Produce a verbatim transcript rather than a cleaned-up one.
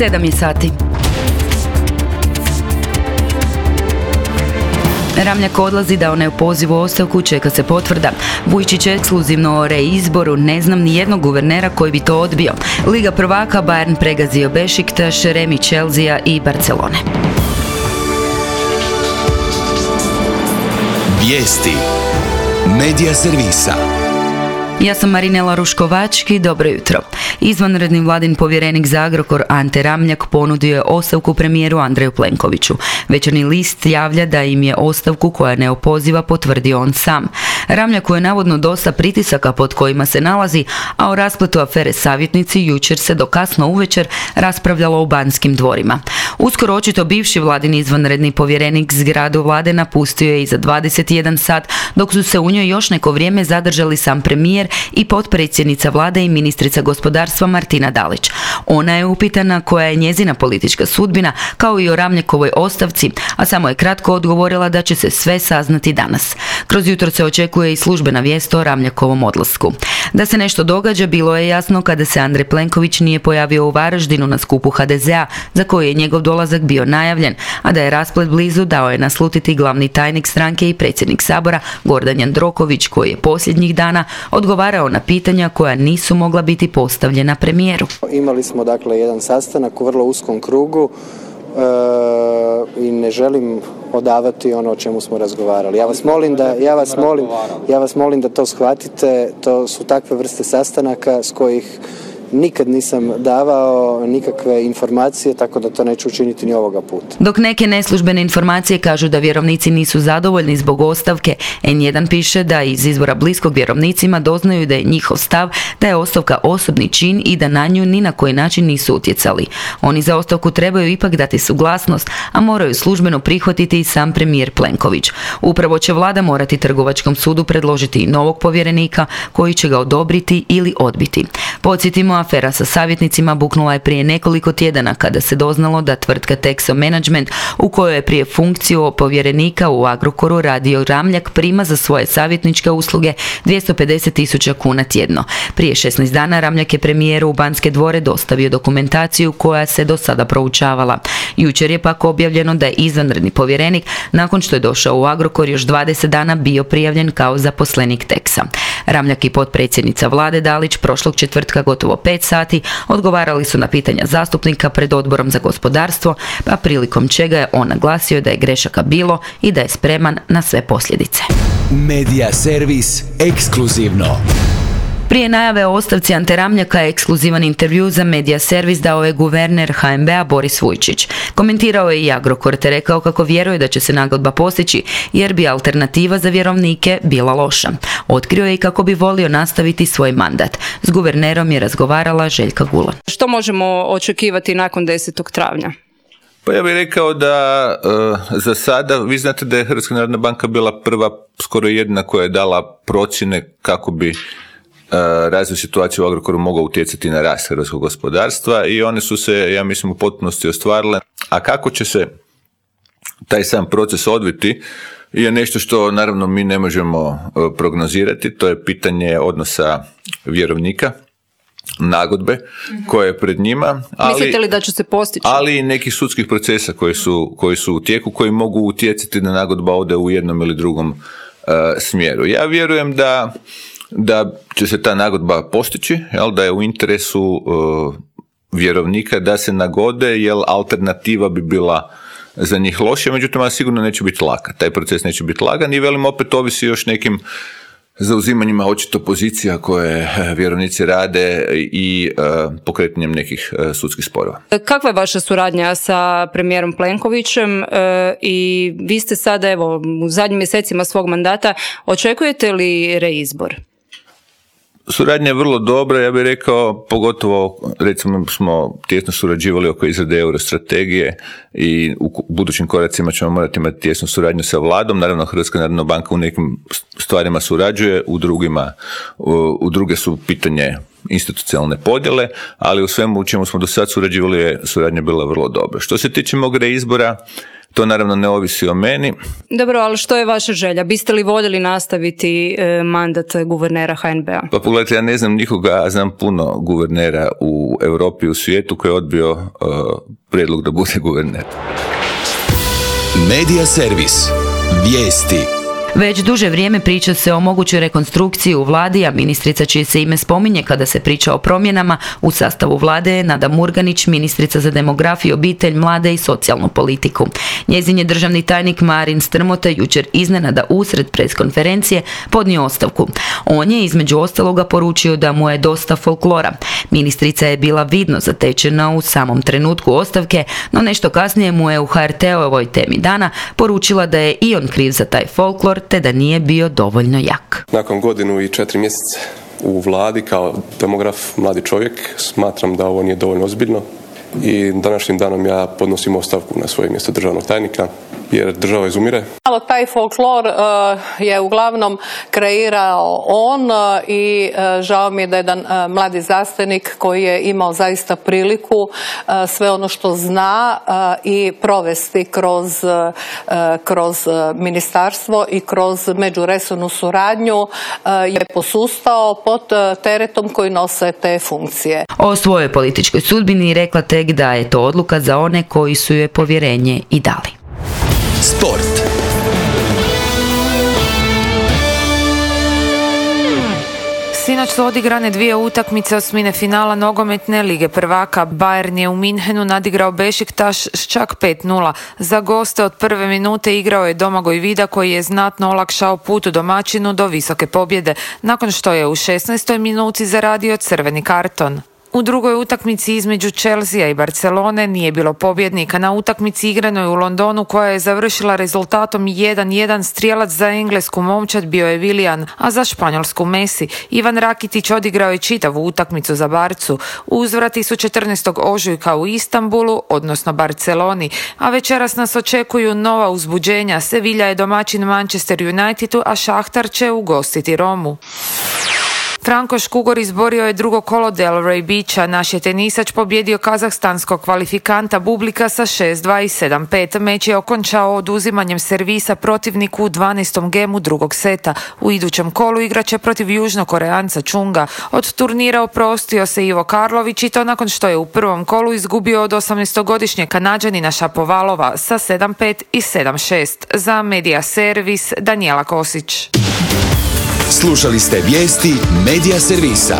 Sedam je sati. Ramljak odlazi, dao neopozivu ostavku, čeka se potvrda. Vujčić ekskluzivno o reizboru, ne znam ni jednog guvernera koji bi to odbio. Liga prvaka, Bayern pregazio Bešiktaš, Remi Chelsea i Barcelone. Vijesti Medija servisa. Ja sam Marinela Ruškovački, dobro jutro. Izvanredni vladin povjerenik za Agrokor Ante Ramljak ponudio je ostavku premijeru Andreju Plenkoviću. Večernji list javlja da im je ostavku koja neopoziva potvrdio on sam. Ramljaku je navodno dosta pritisaka pod kojima se nalazi, a o raspletu afere savjetnici jučer se do kasno uvečer raspravljalo u Banskim dvorima. Uskoro očito bivši vladin izvanredni povjerenik zgradu vlade napustio je i za dvadeset jedan sat, dok su se u njoj još neko vrijeme zadržali sam premijer i potpredsjednica vlade i ministrica gospodarstva Martina Dalić. Ona je upitana koja je njezina politička sudbina, kao i o Ramljakovoj ostavci, a samo je kratko odgovorila da će se sve saznati danas. Kroz jutro se očekuje i službena vijest o Ramljakovom odlasku. Da se nešto događa bilo je jasno kada se Andrej Plenković nije pojavio u Varaždinu na skupu ha de ze a, za koji je njegov dolazak bio najavljen, a da je rasplet blizu dao je naslutiti glavni tajnik stranke i predsjednik Sabora Gordan Jandroković, koji je posljednjih dana odgovarao na pitanja koja nisu mogla biti postavljena premijeru. Imali smo dakle jedan sastanak u vrlo uskom krugu e, i ne želim odavati ono o čemu smo razgovarali. Ja vas molim da ja vas molim, ja vas molim da to shvatite, to su takve vrste sastanaka s kojih nikad nisam davao nikakve informacije, tako da to neću učiniti ni ovoga puta. Dok neke neslužbene informacije kažu da vjerovnici nisu zadovoljni zbog ostavke, en jedan piše da iz izvora bliskog vjerovnicima doznaju da je njihov stav da je ostavka osobni čin i da na nju ni na koji način nisu utjecali. Oni za ostavku trebaju ipak dati suglasnost, a moraju službeno prihvatiti i sam premijer Plenković. Upravo će vlada morati Trgovačkom sudu predložiti i novog povjerenika koji će ga odobriti ili odbiti. Podsjetimo, afera sa savjetnicima buknula je prije nekoliko tjedana kada se doznalo da tvrtka Texo Management, u kojoj je prije funkciju povjerenika u Agrokoru radio Ramljak, prima za svoje savjetničke usluge dvjesto pedeset tisuća kuna tjedno. Prije šesnaest dana Ramljak je premijeru u Banske dvore dostavio dokumentaciju koja se do sada proučavala. Jučer je pak objavljeno da je izvanredni povjerenik, nakon što je došao u Agrokor, još dvadeset dana bio prijavljen kao zaposlenik Texa. Ramljak i potpredsjednica vlade Dalić prošlog četvrtka gotovo pet sati odgovarali su na pitanja zastupnika pred Odborom za gospodarstvo, pa prilikom čega je on naglasio da je grešaka bilo i da je spreman na sve posljedice. Medija servis ekskluzivno. Prije najave o ostavci Ante Ramljaka ekskluzivan intervju za Medija servis dao je guverner ha en be a Boris Vujčić. Komentirao je i Agrokor te rekao kako vjeruje da će se nagodba postići jer bi alternativa za vjerovnike bila loša. Otkrio je i kako bi volio nastaviti svoj mandat. S guvernerom je razgovarala Željka Gulan. Što možemo očekivati nakon desetog travnja? Pa ja bih rekao da uh, za sada, vi znate da je Hrvatska narodna banka bila prva, skoro jedina koja je dala procjene kako bi razvoj situacije u Agrokoru mogao utjecati na rast hrvatskog gospodarstva i one su se, ja mislim, u potpunosti ostvarile. A kako će se taj sam proces odviti je nešto što naravno mi ne možemo prognozirati. To je pitanje odnosa vjerovnika, nagodbe koje je pred njima. Ali, mislite li da će se postići? Ali i nekih sudskih procesa koji su, koji su u tijeku, koji mogu utjecati da nagodba ode u jednom ili drugom uh, smjeru. Ja vjerujem da da će se ta nagodba postići, jel, da je u interesu uh, vjerovnika da se nagode, jer alternativa bi bila za njih loše, međutim, sigurno neće biti laka. Taj proces neće biti lagan i velim opet ovisi još nekim zauzimanjima očito pozicija koje vjerovnici rade i uh, pokretanjem nekih uh, sudskih sporova. Kakva je vaša suradnja sa premijerom Plenkovićem uh, i vi ste sada, evo, u zadnjim mjesecima svog mandata, očekujete li reizbor? Suradnja je vrlo dobra, ja bih rekao, pogotovo recimo smo tijesno surađivali oko izrade eurostrategije i u budućim koracima ćemo morati imati tijesnu suradnju sa vladom. Naravno, Hrvatska narodna banka u nekim stvarima surađuje, u drugima, u, u druge su pitanje institucionalne podjele, ali u svemu u čemu smo do sad surađivali je suradnja bila vrlo dobra. Što se tiče mog reizbora, To naravno ne ovisi o meni. Dobro, ali što je vaša želja? Biste li voljeli nastaviti e, mandat guvernera H N B-a? Pa pogledajte, ja ne znam nikoga, znam puno guvernera u Europi i u svijetu koji je odbio uh, prijedlog da bude guverner. Medija servis. Vijesti. Već duže vrijeme priča se o mogućoj rekonstrukciji u vladi, a ministrica čije se ime spominje kada se priča o promjenama u sastavu vlade je Nada Murganić, ministrica za demografiju, obitelj, mlade i socijalnu politiku. Njezin je državni tajnik Marin Strmota jučer iznenada usred preskonferencije podnio ostavku. On je između ostaloga poručio da mu je dosta folklora. Ministrica je bila vidno zatečena u samom trenutku ostavke, no nešto kasnije mu je u H R T-ovoj Temi dana poručila da je i on kriv za taj folklor, te da nije bio dovoljno jak. Nakon godinu i četiri mjeseca u vladi kao demograf, mladi čovjek, smatram da ovo nije dovoljno ozbiljno i današnjim danom ja podnosim ostavku na svoje mjesto državnog tajnika jer država izumire. Taj folklor uh, je uglavnom kreirao on uh, i uh, žao mi je da jedan uh, mladi znanstvenik koji je imao zaista priliku uh, sve ono što zna uh, i provesti kroz, uh, kroz uh, ministarstvo i kroz međuresornu suradnju uh, je posustao pod uh, teretom koji nose te funkcije. O svojoj političkoj sudbini rekla tek da je to odluka za one koji su joj povjerenje i dali. Sport. Sinoć su odigrane dvije utakmice osmine finala nogometne Lige prvaka. Bayern je u Minhenu nadigrao Bešiktaš s čak pet nula. Za goste od prve minute igrao je Domagoj Vida koji je znatno olakšao put u domaćinu do visoke pobjede, nakon što je u šesnaestoj minuti zaradio crveni karton. U drugoj utakmici između Chelsea i Barcelone nije bilo pobjednika. Na utakmici igranoj u Londonu koja je završila rezultatom jedan jedan strijelac za englesku momčad bio je Willian, a za španjolsku Messi. Ivan Rakitić odigrao je čitavu utakmicu za Barcu. Uzvrati su četrnaestog ožujka u Istanbulu, odnosno Barceloni, a večeras nas očekuju nova uzbuđenja. Sevilla je domaćin Manchester Unitedu, a Šahtar će ugostiti Romu. Franko Škugor izborio je drugo kolo Delray Beacha. Naš je tenisač pobjedio kazahstanskog kvalifikanta Bublika sa šest dva i sedam pet. Meč je okončao oduzimanjem servisa protivniku u dvanaestom gemu drugog seta. U idućem kolu igraće protiv južnokoreanca Chunga. Od turnira oprostio se Ivo Karlović i to nakon što je u prvom kolu izgubio od osamnaestogodišnjeg Kanađanina Šapovalova sa sedam pet i sedam šest. Za Medija servis Danijela Kosić. Slušali ste vijesti Medija servisa.